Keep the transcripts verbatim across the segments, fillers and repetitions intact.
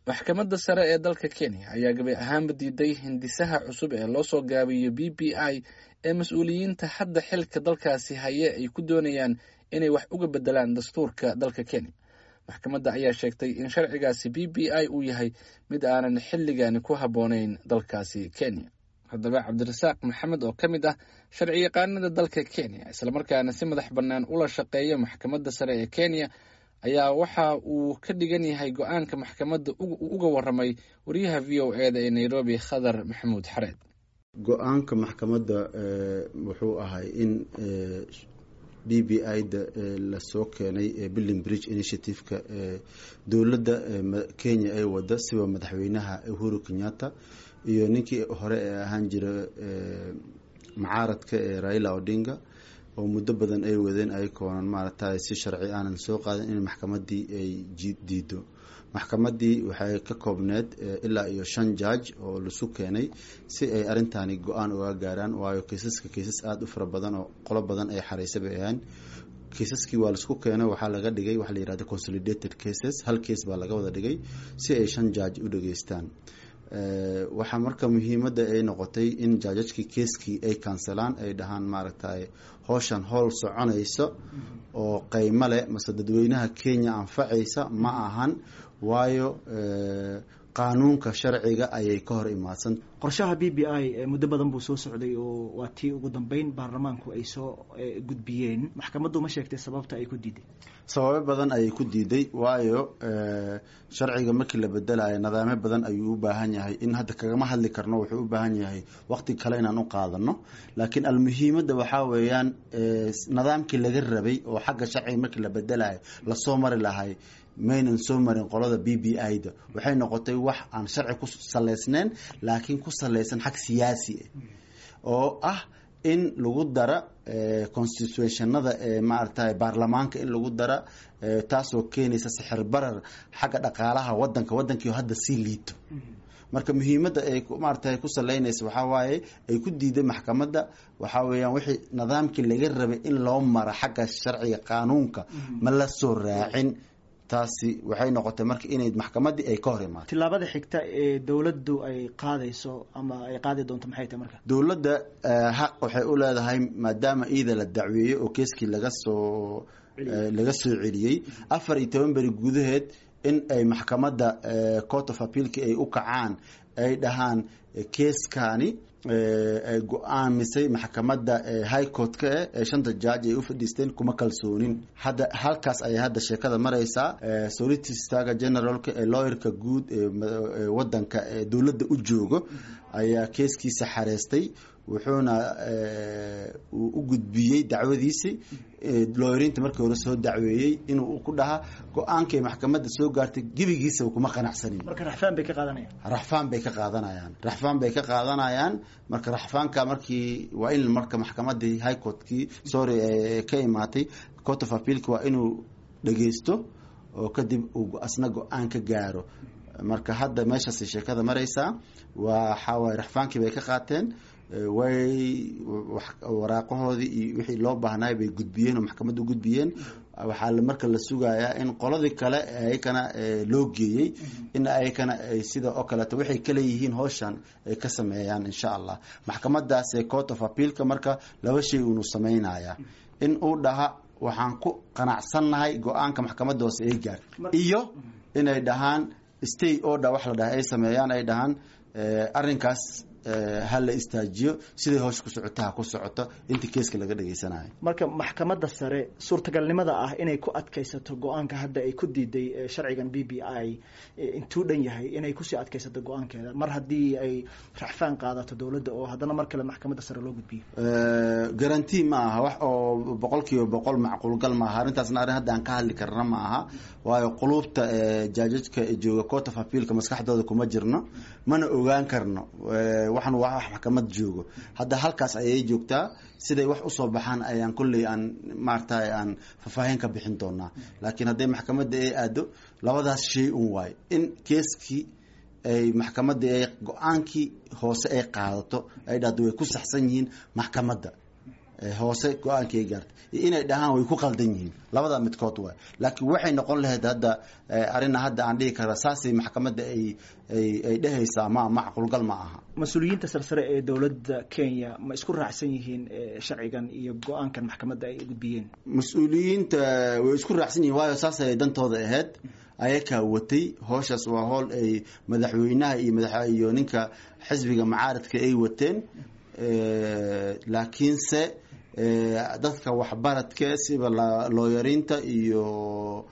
Maxkamadda sare ee dalka Kenya ayaa gabi ahaanba diiday hindisaha cusub ee loo soo gaabiyo B B I ee mas-uuliyiinta hadda xilka dalkaasi haye ay ku doonayaan inay wax uga bedelaan dastuurka dalka Kenya. Maxkamadda ayaa sheegtay in sharcigaasi B B I uu yahay mid aanan xilligani ku habboonayn dalkaasi Kenya. Haddaba Cabdirasaaq Maxamed oo ka mid ah sharciyaqaanada dalka Kenya islamarkaana si madax bannaan ula shaqeeya maxkamadda sare ee Kenya ayaa waxa uu ka dhigan yahay go-aanka maxkamadda uga waramay wariyaha V O e da ee Nairobi, Khadar Maxamuud Xareed. Go-aanka maxkamadda wuxuu ahay in B B I da lasoo keenay Building Bridge Initiative-ka dowladda Kenya ay wada, siba madaxweynaha Uhuru Kenyatta iyo ninkii hore ee ahaan jira mucaaradka ee Raila Odinga, oo muddo badan ay wadeen ayakoonan maaragtay si sharci aanan soo qaadan in maxkamaddii ay diido. Maxkamaddii waxay ka koobneed ilaa iyo shan judge oo lasu keenay si ay arrintaani go-aan uga gaaraan, waayo kiisaska kiisas aada u fara badan oo qolo badan ay xareysay bay ahaan. Kiisaskii waa laisku keenay, waxaa laga dhigay waxa la yihahda consolidated cases, hal case baa laga wada dhigay si ay shan judge u dhageystaan. Waxaa marka muhiimadda ay noqotay in judgekii keeskii ay kansalaan, ay dhahaan maaragtay howshan howl soconaysa oo qeymo leh mase dadweynaha Kenya anfacaysa ma ahan, waayo qaanuunka sharciga ayay ka hor imaadsan. Qorshaha B B I muddo badan buu soo socday oo waa tii ugu dambeyn baarlamaanku ay soo gudbiyeen. Maxkamaddu ma sheegtay sababta ay ku diiday? Sababo badan ayay ku diiday, waayo sharciga markii la bedelayo nidaamyo badan ayuu u baahan yahay in hadda kagama hadli karno, wuxuu u baahan yahay waqti kale inaan u qaadano. Laakiin almuhiimadda waxaa weeyaan nidaamkii laga rabay oo xagga sharciga markii la bedelayo lasoo mari lahay maynan soo marin qolada B B I da. Waxay noqotay wax aan sharci ku saleysneyn, laakiin ku saleysan xag siyaasi ah oo ah in lagu dara constitutionada ee maaragtay baarlamaanka in lagu dara, taasoo keenaysa sixir barar xagga dhaqaalaha wadanka, wadankii hadda sii liito. Marka muhiimadda ay maaragtay ku saleynaysa waxaa waaye ay ku diiday maxkamadda waxaa weeyaan wixii nidaamkii laga rabay in loo mara xagga sharciga qaanuunka ma la soo raacin. Taasi waxay noqotay marka inay maxkamaddii ay ka hor imaato. Tillaabada xigta ee dowladdu ay qaadayso ama ay qaadi doonto maxay tahay marka? Dowladda xaq waxay u leedahay, maadaama iida la dacweeyey oo keeskii laga soo laga soo celiyey, afar iyo toban beri gudaheed in ay maxkamadda Court of Appealki ay u kacaan, ay dhahaan keeskani ay go-aamisay maxkamadda High Court-ka eh ee shanta judge ay u fadhiisteen kuma kalsoonin. Hadda halkaas ayay hadda sheekada mareysaa. Solicitorga generalka ee lawyerka guud ee wadanka ee dowladda u joogo ayaa keeskiisa xareystay, wuxuuna u gudbiyey dacwadiisi looyariinta markii hore soo dacweeyey inuu ku dhahaa go-aankay maxkamadda soo gaartay gebigiisa kuma qanacsanin. Marka raxfaan bay ka qaadanayaan? Raxfaan bay ka qaadanayaan, raxfaan bay ka qaadanayaan. Marka raxfaanka markii waa in marka maxkamadii High Courtkii, sorry, ka imaatay Court of Appealki waa inuu dhageysto oo kadib uu asna go-aan ka gaaro. Marka hadda meeshaasay sheekada mareysaa. Waxaa waaye raxfaankii bay ka qaateen, way waraaqahoodii iyo wixii loo baahnaay bay gudbiyeen oo maxkamadda u gudbiyeen. Waxaa marka la sugayaa in qoladii kale ayakana loo geeyey in ayakana ay sida oo kaleeto waxay kale yihiin howshan ay ka sameeyaan insha Allah. Maxkamadaas ee Court of Appealka marka laba shay uunu sameynaya: in uu dhaha waxaan ku qanacsannahay go-aanka maxkamadda hoose ay gaar, iyo inay dhahaan stay order wax la dhaha ay sameeyaan, ay dhahaan arrinkaas ha la istaajiyo, siday howsha ku socota ha ku socoto inta keeska laga dhageysanayo. Marka maxkamadda sare suurtagalnimada ah inay ku adkaysato go-aanka hadda ay ku diiday sharcigan B B I intuu dhan yahay inay kusii adkaysato go-aankeeda mar haddii ay racfaan qaadato dowladda oo haddana mar kale maxkamadda sare loo gudbiyo? Guarantee ma aha, wax oo boqol kiiba boqol macquulgal ma aha arrintaasna. Arrin hadda aan ka hadli karna ma aha, waayo quluubta judgeka jooga Court of Appealka maskaxdooda kuma jirno, mana ogaan karno. Waxaan waa wax maxkamad joogo, hadda halkaas ayay joogtaa. Siday wax usoo baxaan ayaan kolley aan maaragtay aan faahfaahin ka bixin doonaa. Laakiin hadday maxkamadda ay aado labadaas shay un waayo: in keeskii ay maxkamadda ay go-aankii hoose ay qaadato, ay dhahdo way ku saxsan yihiin maxkamadda. Hoose go-aankii ay gaartay iyo inay dhahaan way ku qaldan yihiin, labada midkood waay. Laakiin waxay noqon lahayd hadda arina hadda aan dhihi kara saasay maxkamadda ay ay ay dhehaysaa, ma macquulgal ma aha. Mas-uuliyiinta sarsare ee dowladda Kenya ma isku raacsan yihiin sharcigan iyo go-aankan maxkamadda ay gudbiyeen? Mas-uuliyiinta way isku raacsan yihiin, waayo saasay dantooda ahayd, ayakaa watay howshaas. Waa howl ay madaxweynaha iyo madax iyo ninka xisbiga macaaridka ay wateen, laakiinse dadka waxbaradka siba looyariinta iyo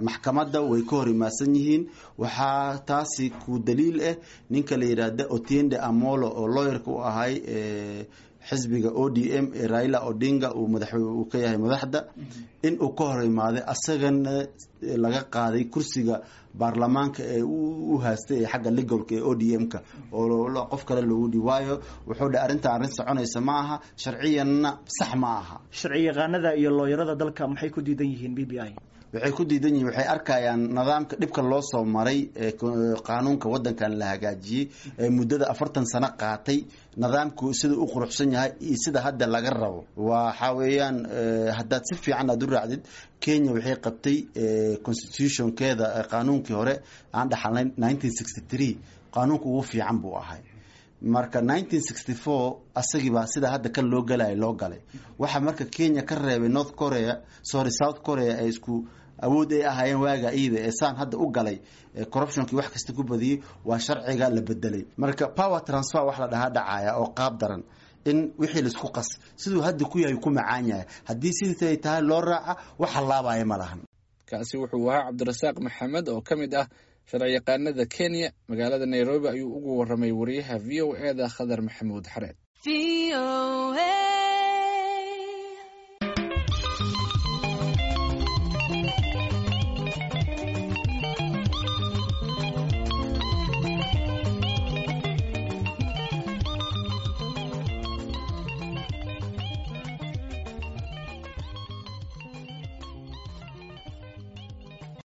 maxkamadda way ka hor imaadsan yihiin. Waxaa taasi ku daliil ah ninka la yidhaahda Otiende Amolo oo looyarka u ahay xisbiga O D M ee Raila Odinga uu madax uu ka yahay madaxda, in uu ka hor imaaday, asagana laga qaaday kursiga baarlamaanka ee u haastay ee xagga legalka ee O D M-ka oo qof kale loogu dhi, waayo wuxuu dhe arrinta arrin soconaysa ma aha, sharciyanna sax ma aha. Sharci yaqaanada iyo looyarada dalka maxay ku diidan yihiin B B I? Waxay ku diidan yihiin, waxay arkayaan nidaamka dhibka loo soo maray ee qaanuunka waddankan la hagaajiyey ee muddada afartan sano qaatay, nidaamku sida u quruxsan yahay iyo sida hadda laga rabo. Waxa weeyaan, haddaad si fiican aad u raacdid, Kenya waxay qabtay constitutionkeeda, qaanuunkii hore aan dhaxalnayn nineteen sixty three, qaanuunka ugu fiican buu ahay. Marka nineteen sixty four asagii baa sida hadda kan loo galaya loo galay. Waxaa marka Kenya ka reebay North Korea, sorry, South Korea ay isku awood ay ahaayeen waaga iyada ee saan hadda u galay corruptionkii wax kasta ku badiyey, waa sharciga la bedelay. Marka power transfer wax la dhahaa dhacaya oo qaab daran in wixii laisku qas siduu hadda ku yahay ku macaan yahay, haddii sidii tahay loo raaca, wax halaabaya ma lahan. Kaasi wuxuu ahaa Cabdirasaaq Maxamed oo ka mid ah sharciyaqaanada Kenya. Magaalada Nairobi ayuu ugu waramay wariyaha V O E da Khadar Maxamuud Xareed.